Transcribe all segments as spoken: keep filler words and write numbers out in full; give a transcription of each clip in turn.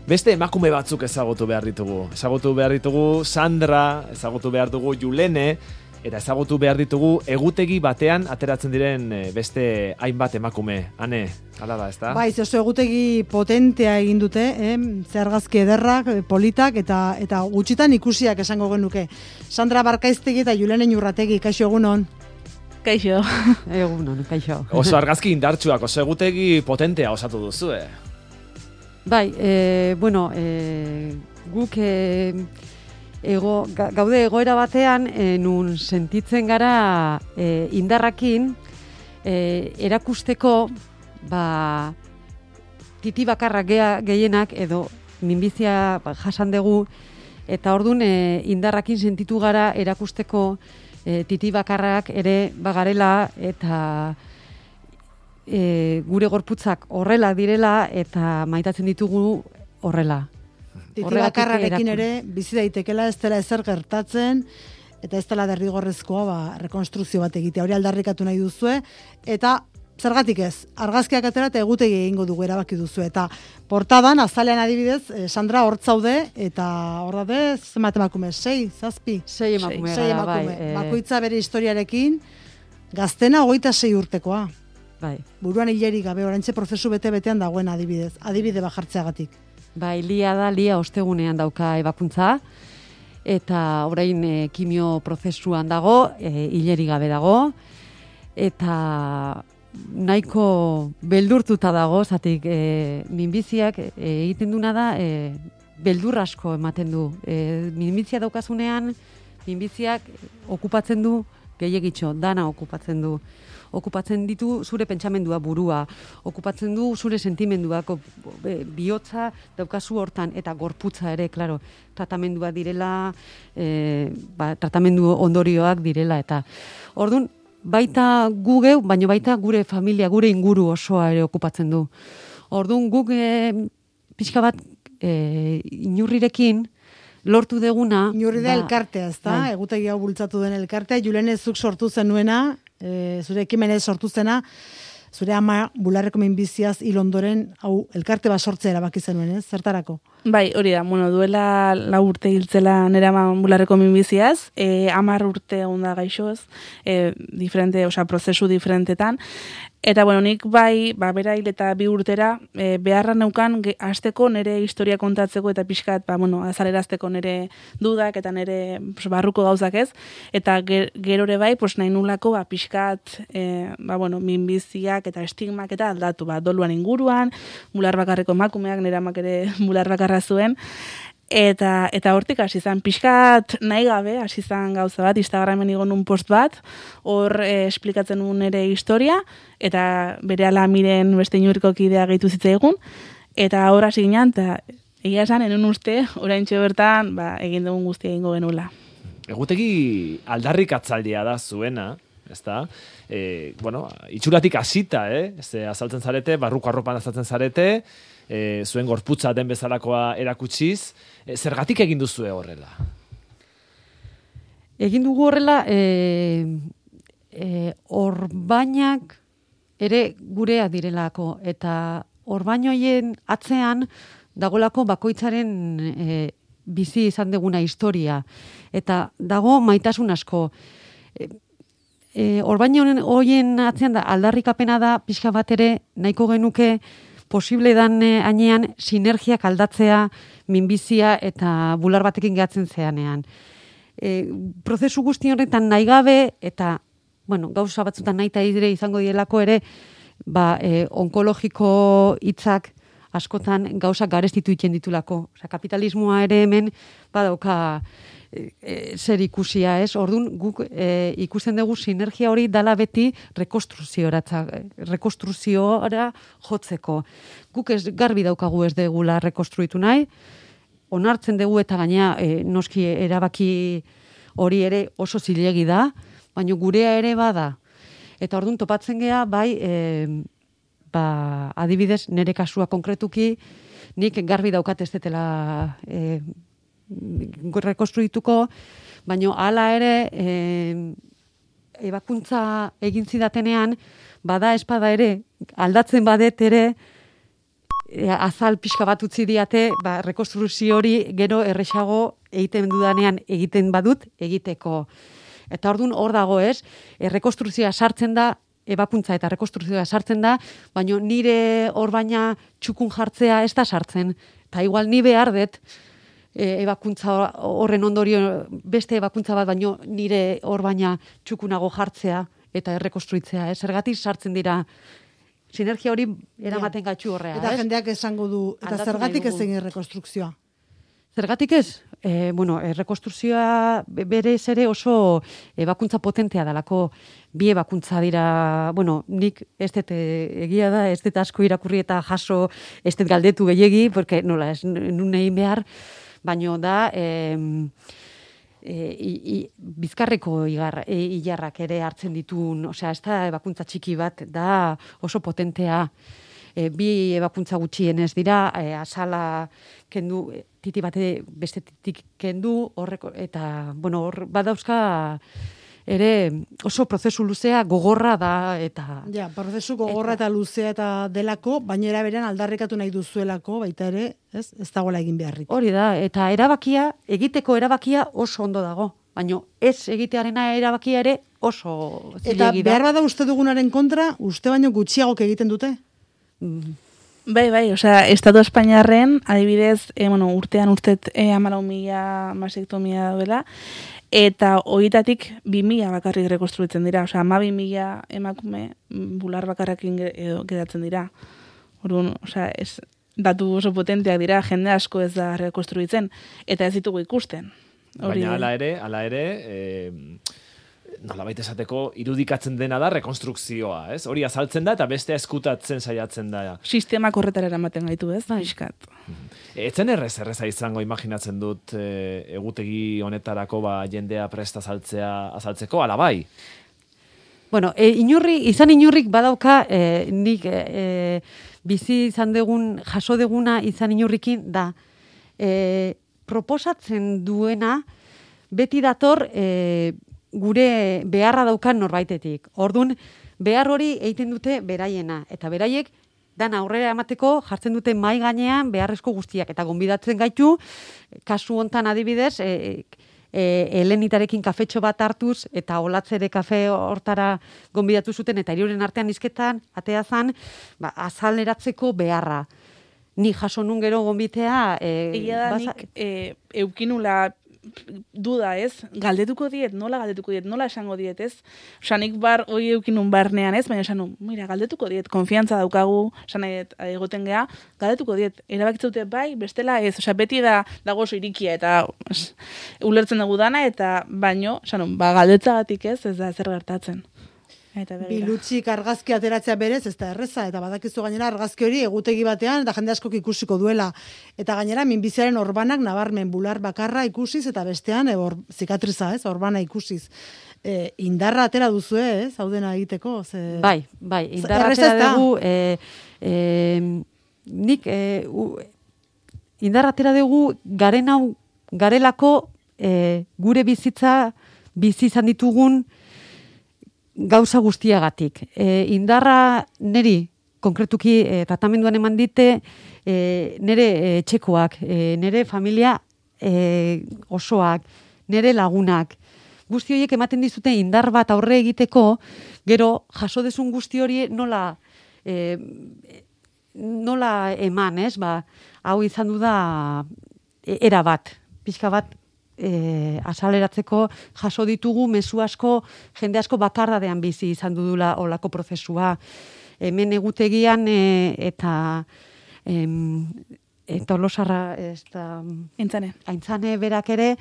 Beste emakume batzuk ezagutu behar ditugu. Ezagutu behar ditugu Sandra, ezagutu behar dugu Julene, eta ezagutu behar ditugu egutegi batean ateratzen diren beste hainbat emakume. Ane, hala da, ezta? Bai, oso egutegi potentea egin dute, eh? Zehargazki ederrak, politak, eta eta gutxitan ikusiak esango genuke. Sandra Barkaiztegi eta Julene Iñurrategi, kaixo egunon. Kaixo. Egunon, kaixo. Oso argazki indartsuak, oso egutegi potentea osatu duzu, eh? Bai, e, bueno, e, guk e, ego, gaude egoera batean, e, nun sentitzen gara e, indarrakin e, erakusteko ba, titi bakarrak gehienak edo minbizia ba, jasan dugu, eta ordun e, indarrakin sentitu gara erakusteko e, titi bakarrak ere bagarela eta e, gure gorputzak horrela direla eta maitatzen ditugu horrela. Titi bakarrarekin ere bizi daitekela ez dela ezer gertatzen eta ez dela derrigorrezkoa ba, rekonstruzio bat egitea. Hori aldarrikatu nahi duzue eta zergatik ez, argazkiak atera eta egutegi egingo dugu erabaki duzu. Eta portadan, azalean adibidez, Sandra hortzaude, eta hor daude, zenbat emakume, sei, zazpi? Sei emakume. Sei emakume. Bai, e... Bakoitza bere historiarekin, gaztena hogeita sei urtekoa. Bai. Buruan hileri gabe, orantxe prozesu bete-betean dagoen adibidez, adibide bajartzeagatik. Bai, lia da, lia ostegunean dauka ebakuntza, eta orain e, kimio prozesuan dago, e, hileri gabe dago, eta nahiko beldurtuta dago, zatik e, minbiziak e, egiten duna da, e, beldur asko ematen du. E, minbizia daukazunean, minbiziak okupatzen du gehiagitxo, dana okupatzen du. Okupatzen ditu zure pentsamendua, burua, okupatzen du zure sentimenduak, bihotza daukazu hortan, eta gorputza ere, klaro, tratamendua direla, e, ba, tratamendu ondorioak direla, eta orduan, baita gu geu, baina baita gure familia, gure inguru osoa ere okupatzen du. Orduan guk e, pixka bat e, inurrirekin lortu deguna... Inurri da elkartea, ez da? Bai. Egutegi hau bultzatu den elkartea. Julene zuk sortu zenuena, e, zure ekimenez sortu zena, zure ama bularreko minbiziaz hil ondoren, hau elkarte bat sortzea erabaki zenuen, ez? Zertarako? Bai, hori da, bueno, duela lau urte hiltzela nera bularreko minbiziaz, e, amar urte onda gaixoz, e, diferente, osea, prozesu diferentetan, eta, bueno, nik bai, ba, bera hil eta bi urtera, e, beharra neukan hasteko nire historia kontatzeko eta pixkat, ba, bueno, azalerazteko nire dudak eta nire pues, barruko gauzak ez, eta ger, gerore bai, pues, nahi nulako, ba, pixkat, e, ba, bueno, minbiziak eta estigmak eta aldatu, ba, doluan inguruan, bular bakarreko emakumeak, nire amak ere bular bakarra zuen, eta eta hortik hasi izan pixkat nahi gabe, hasi izan gauza bat, Instagramen igon un post bat, hor eh, esplikatzen nuen ere historia, eta berehala miren beste inurriko kidea gehitu zitzaigun, eta hor hasi ginen, eta egia esan, enun uste, oraintxe bertan, ba, egin dugun guztia egingo genuela. Egutegi aldarrikatzaldia da zuena, ezta? E, bueno, itxuratik hasita, eh? Ze azaltzen zarete, barruko arropan azaltzen zarete, e, zuen gorputza den bezalakoa erakutsiz, e, zergatik egin duzue horrela? Egin dugu horrela, e, e, orbainak ere gurea direlako, eta orbainoien atzean dagolako bakoitzaren e, bizi izan deguna historia, eta dago maitasun asko. E, e, orbaino hoien atzean da, aldarrikapena da, pixka bat ere nahiko genuke posible dan hainean sinergiak aldatzea minbizia eta bular batekin gehatzen zeanean. E, prozesu guzti horretan nahi gabe eta bueno, gauza batzutan nahi eta dire izango dielako ere ba, e, onkologiko hitzak askotan gauzak garestitu iten ditulako. Osea, kapitalismoa ere hemen badauka e, e, zer ikusia, ez? Orduan guk e, ikusten dugu sinergia hori dala beti rekonstruzioara rekonstruziora jotzeko. Guk ez garbi daukagu ez degula rekonstruitu nahi, onartzen dugu eta gaina e, noski erabaki hori ere oso zilegi da, baina gurea ere bada. Eta orduan topatzen gea bai e, ba, adibidez, nire kasua konkretuki, nik garbi daukat ez detela e, rekonstruituko, baina hala ere e, ebakuntza egin zidatenean, bada espada ere, aldatzen badet ere, azal pixka bat utzi diate, ba, rekonstruzio hori gero erresago egiten dudanean egiten badut egiteko. Eta orduan hor dago ez, errekonstruzioa sartzen da, ebakuntza eta rekonstruzioa sartzen da, baina nire hor baina txukun jartzea ez da sartzen. Eta igual ni behar dut, e, ebakuntza horren ondorio beste ebakuntza bat, baina nire hor baina txukunago jartzea eta errekonstruitzea. Ez zergatik sartzen dira, sinergia hori eramaten ja. Gatxu horrea. Eta ez? jendeak esango du, eta Aldatu zergatik nahi ez dugu. egin rekonstrukzioa? Zergatik ez? E, bueno, rekonstruzioa berez ere oso ebakuntza potentea dalako. Bi ebakuntza dira, bueno, nik ez dut egia da, ez dut asko irakurri eta jaso, ez dut galdetu gehiegi, porque nola, ez nun egin behar, baino da, e, e, i, bizkarreko igar, e, ilarrak ere hartzen ditun, osea, ez da ebakuntza txiki bat, da oso potentea. E, bi ebakuntza gutxienez dira, e, azala kendu, titi bate beste titik kendu, horreko, eta, bueno, hor badauzka ere oso prozesu luzea gogorra da, eta... Ja, prozesu gogorra eta, eta luzea eta delako, baina eraberean aldarrikatu nahi duzuelako, baita ere, ez, ez dagoela egin beharrik. Hori da, eta erabakia, egiteko erabakia oso ondo dago, baina ez egitearena erabakia ere oso zilegi da. Eta behar bada uste dugunaren kontra, uste baino gutxiagok egiten dute? Bai, bai, osea, Estatu Espainiarren, adibidez, e, bueno, urtean urtet e, amalau mila masektomia dauela, eta horietatik bi mila bakarrik rekonstruitzen dira, osea, ama bi mila emakume bular bakarrakin gedatzen dira. Orduan, osea, ez, datu oso potenteak dira, jende asko ez da rekonstruitzen, eta ez ditugu ikusten. Hori Baina hala ere, hala ere, e, nolabait esateko irudikatzen dena da rekonstrukzioa, ez? Hori azaltzen da eta bestea eskutatzen saiatzen da. Sistemak horretara eramaten gaitu, ez? Piskat. Etzen errez erreza izango imaginatzen dut e, egutegi honetarako ba jendea presta azaltzea azaltzeko ala bai. Bueno, e, inurri, izan inurrik badauka e, nik e, bizi izan degun, jaso deguna izan inurrikin da e, proposatzen duena beti dator e, gure beharra daukan norbaitetik. Ordun behar hori egiten dute beraiena. Eta beraiek, dan aurrera emateko jartzen dute mai gainean beharrezko guztiak. Eta gonbidatzen gaitu, kasu hontan adibidez, e, e, Helenitarekin kafetxo bat hartuz, eta Olatzere kafe hortara gonbidatu zuten, eta hiruren artean izketan, atea zan, ba, azaleratzeko beharra. Ni jaso nun gero gonbitea... E, Egia da nik e, eukinula duda, ez? Galdetuko diet, nola galdetuko diet, nola esango diet, ez? Osa, nik bar, hoi eukinun barnean, ez? Baina esan, mira, galdetuko diet, konfiantza daukagu, esan egoten gea, galdetuko diet, erabakitzute bai, bestela ez, osa, beti da, dago oso irikia, eta es, ulertzen dugu dana, eta baino, esan, ba, galdetzagatik ez, ez da zer gertatzen. Bilutxik argazki ateratzea berez, ez da erreza, eta badakizu gainera argazki hori egutegi batean, eta jende askok ikusiko duela. Eta gainera, minbiziaren orbanak nabarmen bular bakarra ikusiz, eta bestean, e, or, zikatriza, ez, orbana ikusiz. E, indarra atera duzu, ez, hau dena egiteko? Ze... Bai, bai, indarra atera dugu, e, e, nik, e, u, indarra atera dugu garen hau, garelako e, gure bizitza, bizi izan ditugun, gauza guztiagatik. E, indarra neri, konkretuki, e, tratamenduan eman dite, e, nere e, txekoak, e, nere familia e, osoak, nere lagunak. Guzti horiek ematen dizute indar bat aurre egiteko, gero jaso desun guzti hori nola, e, nola eman, ez? Ba, hau izan du da era bat, pixka bat, E, azaleratzeko jaso ditugu mezu asko, jende asko bakardadean bizi izan dudula olako prozesua. Hemen egutegian e, eta em, eta Tolosarra ez da... Aintzane. Aintzane berak ere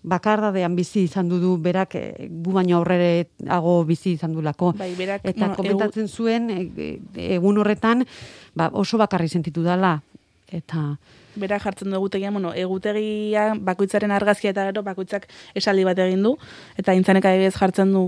bakardadean bizi izan dudu, berak e, gu baino aurrereago bizi izan dulako. Bai, berak, eta bueno, komentatzen egu... zuen e, egun horretan ba, oso bakarri sentitu dela. Eta... Bera jartzen du egutegian, bueno, egutegia bakoitzaren argazkia eta gero bakoitzak esaldi bat egin du, eta Aintzanek adibidez jartzen du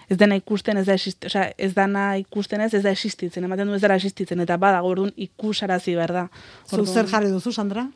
ez dena ikusten, ez da existitzen, osea, ez dana ikusten ez, ez da existitzen, ematen du ez dara existitzen, eta badago orduan ikusarazi behar da. Zu zer jarri duzu, Sandra?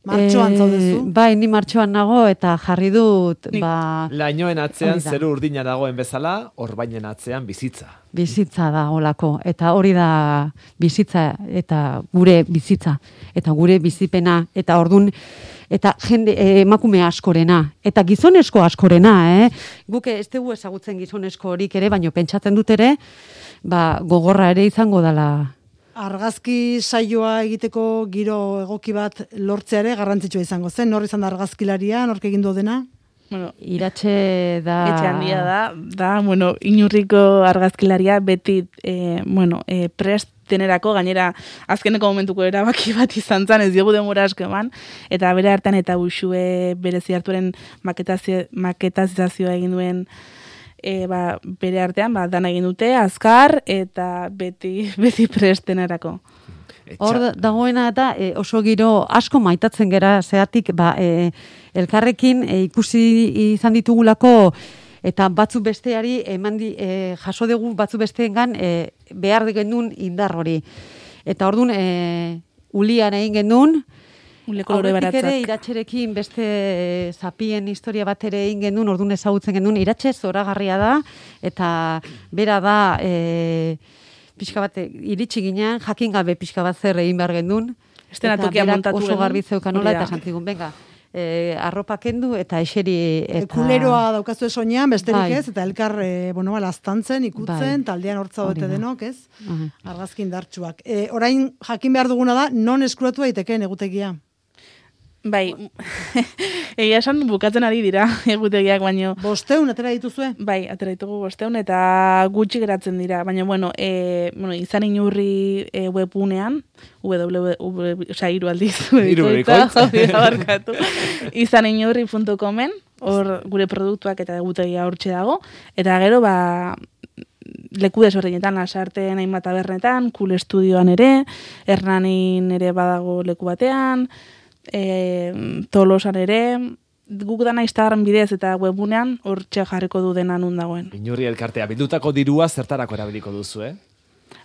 Martxoan Eh, zaudezu? Bai, ni martxoan nago eta jarri dut, Nik- ba, Lainoen atzean Hori da. zeru urdina dagoen bezala, orbainen atzean bizitza. bizitza da olako. Eta hori da bizitza eta gure bizitza. Eta gure bizipena. Eta ordun eta jende eh, emakume askorena. Eta gizonesko askorena, eh? Guk ez dugu ezagutzen gizonesko horik ere, baino pentsatzen dut ere, ba, gogorra ere izango dala. Argazki saioa egiteko giro egoki bat lortzea ere garrantzitsua izango zen. Nor izan da argazkilaria, nork egin du dena? Bueno, Iratxe da... etxe handia da, da, bueno, inurriko argazkilaria beti, e, bueno, e, prest denerako, gainera azkeneko momentuko erabaki bat izan zen, ez diogu demora asko eman, eta bere hartan eta Uxue berezi hartuaren maketazio, maketazizazioa egin duen e, ba, bere artean, ba, dana egin dute, azkar, eta beti, beti prest denerako. Hor da- dagoena eta e, oso giro asko maitatzen gera, zeatik ba, e, elkarrekin e, ikusi izan ditugulako eta batzu besteari eman di, e, jaso dugu batzu besteengan e, behar genuen indar hori. Eta ordun e, ulian egin genuen, Ule kolore aurretik ere baratzak. iratxerekin beste e, zapien historia bat ere egin genuen, ordun ezagutzen genuen, iratxe zoragarria da, eta bera da... E, pixka bat iritsi ginean, jakin gabe pixka bat zer egin behar gendun. Eszenatokia montatu oso genuen. garbi zeukanola Hori da. eta santzigun, venga, eh, arropa kendu eta eseri... Eta... Kuleroa daukazu soinean, besterik Bai. ez, eta elkar, e, bueno, ba, laztantzen, ikutzen, Bai. taldean hortza Hori dote da. denok, ez? Aha. Argazki indartsuak. E, orain jakin behar duguna da, non eskuratu daitekeen egutegia. Bai, egia esan bukatzen ari dira egutegiak, baino, Bosteun, atera dituzue? bai, atera ditugu bosteun, eta gutxi geratzen dira, baina, bueno, e, bueno izan inurri e, webunean, www, oza, hiru aldiz, Hiru bikoitza, hori da, barkatu, izan inurri puntu comen, hor gure produktuak eta egutegia hortxe dago, eta gero, ba, leku desberdinetan, Lasarten hainbat tabernetan, Cool Estudioan ere, Hernanin ere badago leku batean, e, Tolosan ere, guk dana Instagram bidez eta webunean hortxe jarriko du dena nun dagoen. Inurri elkartea, bildutako dirua zertarako erabiliko duzu, eh?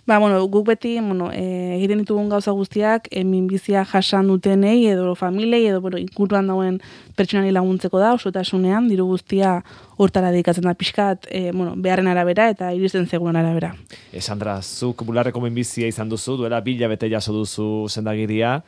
Ba, bueno, guk beti, bueno, e, egiten ditugun gauza guztiak, e, minbizia jasan dutenei, edo familiei, edo, bueno, inguruan dagoen pertsonari laguntzeko da, osotasunean, diru guztia hortara dedikatzen da pixkat, e, bueno, beharren arabera eta iristen zegoen arabera. E, Sandra, zuk bularreko minbizia izan duzu, duela bila bete jaso duzu sendagiria.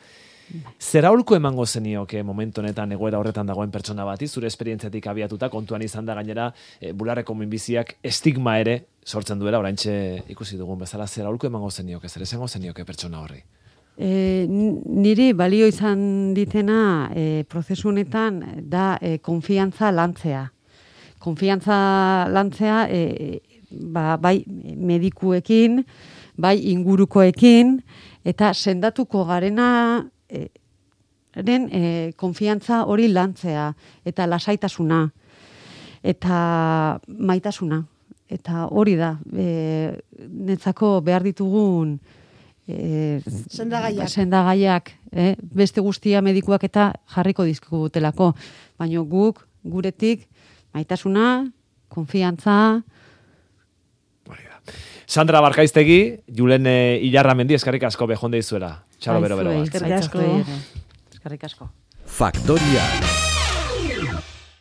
Zer aholku emango zenioke momentu honetan egoera horretan dagoen pertsona bati, zure esperientziatik abiatuta, kontuan izan da gainera e, bularreko minbiziak estigma ere sortzen duela, oraintxe ikusi dugun bezala, zer aholku emango zenioke, zer esango zenioke pertsona horri? E, niri balio izan ditena e, prozesu honetan da e, konfiantza lantzea. Konfiantza lantzea e, ba, bai medikuekin, bai ingurukoekin, eta sendatuko garena e, ren e, konfiantza hori lantzea, eta lasaitasuna, eta maitasuna. Eta hori da, e, netzako behar ditugun e, Sendagaiak. sendagaiak, eh? Beste guztia medikuak eta jarriko dizkigutelako. Baina guk, guretik, maitasuna, konfiantza... Hori da. Sandra Barkaiztegi, Julen eh, Ilarramendi, eskarrik asko bejonde izuela. Txalo bero bero bat. Eskerrik asko. Eskerrik asko. Faktoria.